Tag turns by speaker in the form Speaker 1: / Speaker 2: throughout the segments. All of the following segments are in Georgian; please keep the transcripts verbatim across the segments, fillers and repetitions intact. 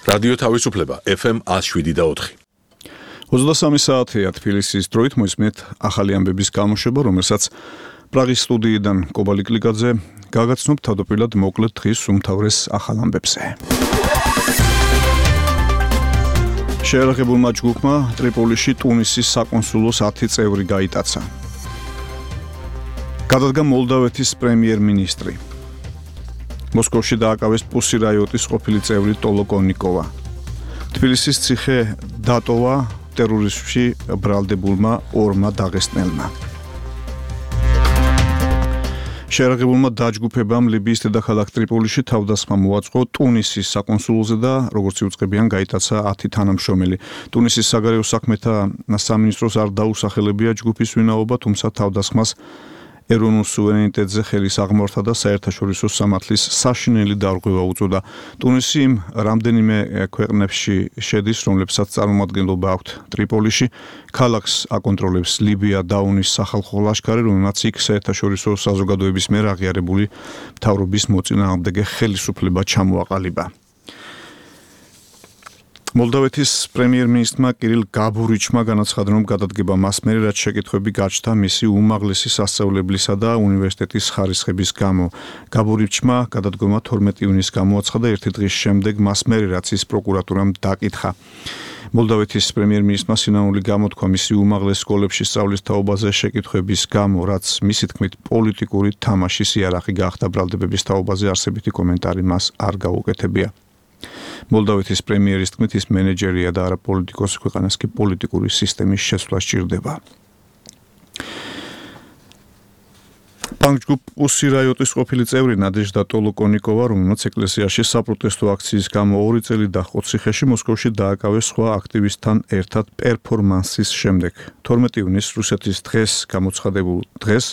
Speaker 1: რადიო თავისუფლება ეფ ემ one oh seven და four.
Speaker 2: ოცდასამი საათია თბილისის დროით მოისმენთ ახალი ამბების გამოშვება, რომელსაც პრაღის სტუდიიდან კობალი კლიკაძე გაგაცნობ თავდაპირველად მოკლედ დღის უმთავრეს ახალ ამბებზე. შეერაღებულმა ჯგუფმა ტრიპოლიში ტუნისის საკონსულოს ათი წევრი გაიტაცა. გადადგა მოლდავეთის პრემიერ-მინისტრი. მოსკოვში დააკავეს პუსი რაიოტის ყოფილი წევრი ტოლოკონიკოვა. თბილისის ციხე დატოვა ტერორიზმში ბრალდებულმა ორმა დაღესტნელმა. შეერაღებულმა დაჯგუფებამ ლიბიის დედაქალაქ ტრიპოლიში თავდასხმა მოაწყო ტუნისის საკონსულოზე და როგორც იუწყებიან გაიტაცა ათი თანამშრომელი. ტუნისის საგარეო საქმეთა სამინისტროს არ დაუსახელებია ჯგუფის ვინაობა, თუმცა თავდასხმას ეროვნულ სუვერენიტეტზე ხელის აღმართა და საერთაშორისო სამართლის საშინელი დარღვევა უწოდა. ტუნისი იმ რამდენიმე ქვეყნებში შედის, რომლებსაც წარმომადგენლობა აქვთ ტრიპოლიში. ქალაქს აკონტროლებს ლიბია დაუნის სახალხო ლაშქარი, რომელმაც იქ საერთაშორისო საზოგადოების მიერ აღიარებული მთავრობის მოწინააღმდეგე ხელისუფლება ჩამოაყალიბა. მოლდავეთის პრემიერ-მინისტრმა კირილ გაბურიჩმა განაცხადა, რომ გადადგება მას მერე, რაც შეკითხვები გაჩნდა მისი უმაღლესი სასწავლებლისა და უნივერსიტეტის ხარისხების გამო. გაბურიჩმა გადადგომა თორმეტი ივნისს გამოაცხადა ერთი დღის შემდეგ მას მერე, რაც ის პროკურატურამ დაკითხა. მოლდავეთის პრემიერ-მინისტრმა სინამდვილე გამოთქვა მისი უმაღლეს სკოლებში სწავლის თაობაზე შეკითხვების გამო, რაც მისი თქმით პოლიტიკური თამაშის იარაღი გახდა ბრალდებების თაობაზე არსებითი კომენტარი მას არ გაუკეთებია. მოლდავეთის პრემიერის თქმით ის მენეჯერია და არა პოლიტიკოსი, ქვეყანას კი პოლიტიკური სისტემის შეცვლა სჭირდება. პანკ-ჯგუფ პუსი რაიოტის ყოფილი წევრი ნადეჟდა ტოლოკონიკოვა, რომელმაც ეკლესიაში საპროტესტო აქციის გამო ორი წელი დაჰყო ციხეში, მოსკოვში დააკავეს სხვა აქტივისტთან ერთად პერფორმანსის შემდეგ. თორმეტი ივნისს რუსეთის დღეს გამოცხადებულ დღეს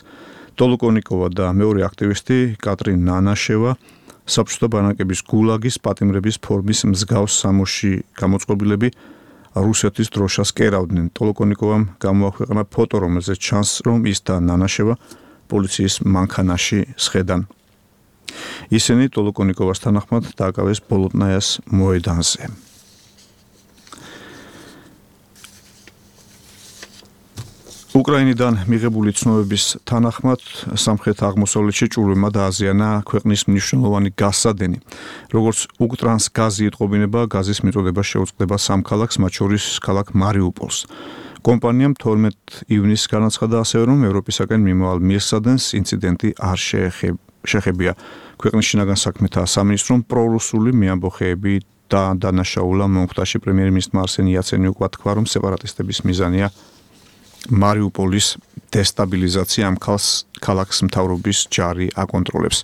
Speaker 2: ტოლოკონიკოვა და მეორე აქტივისტი კატრინ ნანაშევა საბჭოთა ბანაკების გულაგის პატიმრების ფორმის მსგავს სამოში გამოწყობილები რუსეთის დროშას კერავდნენ. ტოლოკონიკოვამ გამოაქვეყნა ფოტო, რომელზეც ჩანს, რომ ის და ნანაშევა პოლიციის მანქანაში სხედან. ისინი ტოლოკონიკოვას თანახმად დააკავეს ბოლოტნაიას მოედანზე. უკრაინიდან მიღებული ცნობების თანახმად სამხრეთ აღმოსავლეთში ჭურვებმა დააზიანა ქვეყნის მნიშვნელოვანი გაზსადენი. როგორც უკტრანს გაზი იტყობინება, გაზის მიწოდება შეუწყდება სამ ქალაქს, მათ შორის ქალაქ მარიუპოლს. კომპანიამ თორმეტი ივნისს განაცხადა ასევე, რომ ევროპისაკენ მიმავალ მილსადენს ინციდენტი არ შეეხებია. ქვეყნის შინაგან საქმეთა სამინისტრომ პრორუსული მეამბოხეები და დანაშაულა მომხდარში პრემიერ-მინისტრმა არსენ იაცენიუკმა თქვა, რომ სეპარატისტების მიზანია მარიუპოლის დესტაბილიზაცია, ამ ქალაქს მთავრობის ჯარი აკონტროლებს.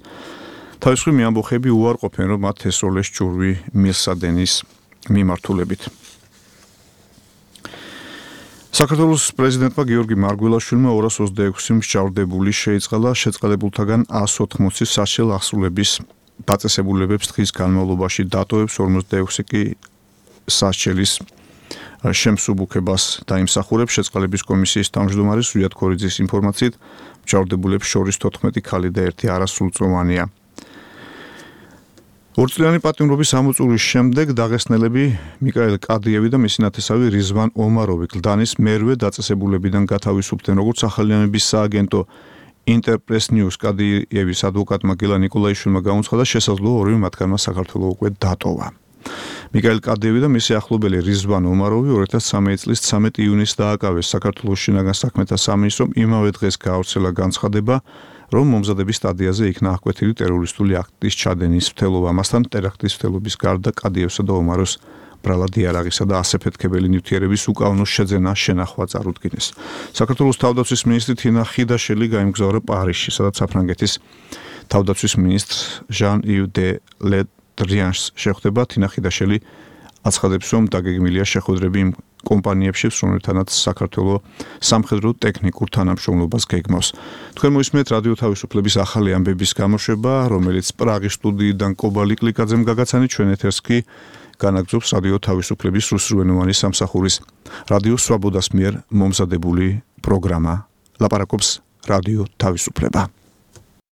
Speaker 2: თავისუფლი მეამბოხეები უარყოფენ, რომ მათ ესროლეს ჭურვი მილსადენის მიმართულებით. საქართველოს პრეზიდენტმა გიორგი მარგველაშვილმა ორას ოცდაექვსი მსჯავრდებული შეიწყალა შეწყალებულთაგან ას ოთხმოცი საშელ აღსრულების დაწესებულებებს დღის განმავლობაში დატოვებს, ორმოცდაექვსი კი სასჯელის შემსუბუქებას დაიმსახურებს. შეწყალების კომისიის თავმჯდომარის ზვიად ქორიძის ინფორმაციით, მსჯავრდებულებს შორის თოთხმეტი ქალი და ერთი არასრულწლოვანია. ორწლიანი პატიმრობის ამოწურვის შემდეგ დაღესტნელები მიკაელ კადიევი და მისი ნათესავი რიзвან ომაროვი გლდანის მერვე დაწესებულებიდან გათავისუფლდნენ. როგორც ახალიანების სააგენტო ინტერპრეს ნიუს კადიევის ადვოკატმა გელა ნიკოლაიშვილმა გამოცხადა, შესაძლოა ორივე მათგანმა საქართველოს უკვე დატოვა. მიკაელ კადიევი და მისი ახლობელი რიзвან ომაროვი ორი ათას ცხრამეტი წლის ცამეტი ივნისს დააკავეს. საქართველოს შინაგან საქმეთა სამინისტრომ იმავე დღეს გაავრცელა განცხადება, რომ მომზადების სტადიაზე იქნა აღკვეთილი ტერორისტული აქტის ჩადენის მცდელობა. ამასთან ტერაქტის მცდელობის გარდა კადიევსა და ომაროვს ბრალად იარაღისა და ასაფეთქებელი ნივთიერების უკანონო შეძენა შენახვა წარუდგინეს. საქართველოს თავდაცვის მინისტრი თინა ხიდაშელი გაემგზავრა პარიზში, სადაც საფრანგეთის თავდაცვის მინისტრ ჟან-იվ დე ლე დრიანს შეხვდება. თინა ხიდაშელი აცხადებს, რომ დაგეგმილია შეხვედრები იმ კომპანიებში, რომელთანაც საქართველოს სამხედრო ტექნიკურ თანამშრომლობას გეგმავს. თქვენ მოისმენთ რადიო თავისუფლების ახალი ამბების გამოშვება, რომელიც პრაღის სტუდიიდან კობალი კლიკაძემ გაგაცანით. ჩვენ ეთერს კი განაგრძობს რადიო თავისუფლების რუსულენოვანი სამსახურის რადიო სვაბოდას მიერ მომზადებული პროგრამა. ლაპარაკობს რადიო თავისუფლება.